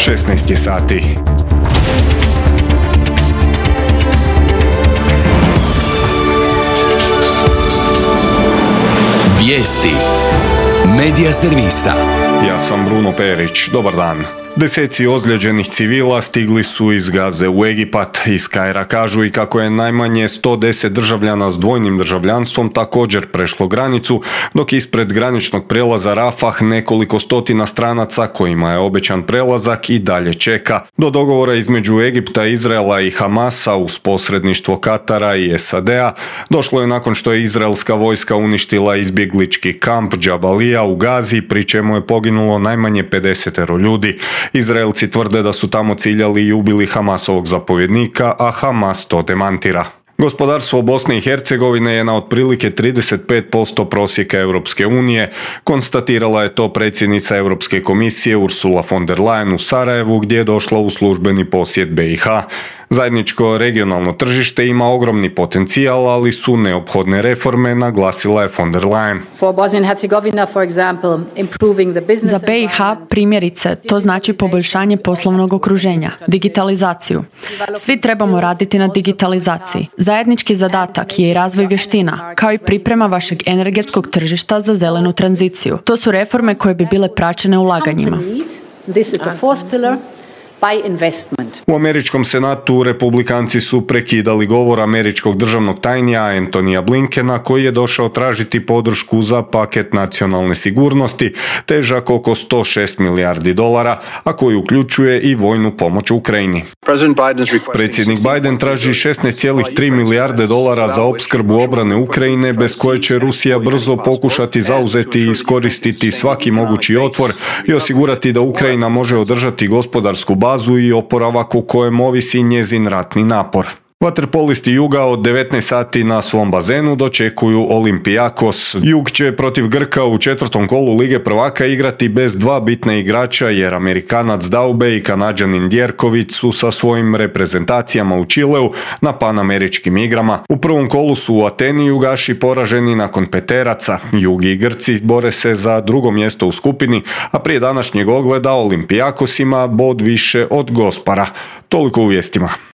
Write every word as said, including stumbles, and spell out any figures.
šesnaest je sati. Vijesti Medija servisa. Ja sam Bruno Perić. Dobar dan. Deseci ozlijeđenih civila stigli su iz Gaze u Egipat. Iz Kaira kažu i kako je najmanje sto deset državljana s dvojnim državljanstvom također prešlo granicu, dok ispred graničnog prelaza Rafah nekoliko stotina stranaca kojima je obećan prelazak i dalje čeka. Do dogovora između Egipta, Izraela i Hamasa uz posredništvo Katara i S A D-a došlo je nakon što je izraelska vojska uništila izbjeglički kamp Džabalija u Gazi, pri čemu je poginulo najmanje pedeset ljudi. Izraelci tvrde da su tamo ciljali i ubili Hamasovog zapovjednika, a Hamas to demantira. Gospodarstvo Bosne i Hercegovine je na otprilike trideset pet posto prosjeka Europske unije, konstatirala je to predsjednica Europske komisije Ursula von der Leyen u Sarajevu, gdje je došla u službeni posjet B i H. Zajedničko regionalno tržište ima ogromni potencijal, ali su neophodne reforme, naglasila je von der Leyen. Za B i H primjerice to znači poboljšanje poslovnog okruženja, digitalizaciju. Svi trebamo raditi na digitalizaciji. Zajednički zadatak je i razvoj vještina, kao i priprema vašeg energetskog tržišta za zelenu tranziciju. To su reforme koje bi bile praćene ulaganjima. U američkom senatu republikanci su prekidali govor američkog državnog tajnika Antonija Blinkena, koji je došao tražiti podršku za paket nacionalne sigurnosti težak oko sto šest milijardi dolara, a koji uključuje i vojnu pomoć Ukrajini. Predsjednik Biden traži šesnaest zarez tri milijarde dolara za opskrbu obrane Ukrajine, bez koje će Rusija brzo pokušati zauzeti i iskoristiti svaki mogući otvor i osigurati da Ukrajina može održati gospodarsku bazu i oporavak u kojem ovisi njezin ratni napor. Vaterpolisti Juga od devetnaest sati na svom bazenu dočekuju Olympiakos. Jug će protiv Grka u četvrtom kolu Lige prvaka igrati bez dva bitna igrača, jer Amerikanac Daube i Kanađanin Djerković su sa svojim reprezentacijama u Čileu na panameričkim igrama. U prvom kolu su u Ateni Jugaši poraženi nakon peteraca. Jug i Grci bore se za drugo mjesto u skupini, a prije današnjeg ogleda Olympiakos ima bod više od Gospara. Toliko u vijestima.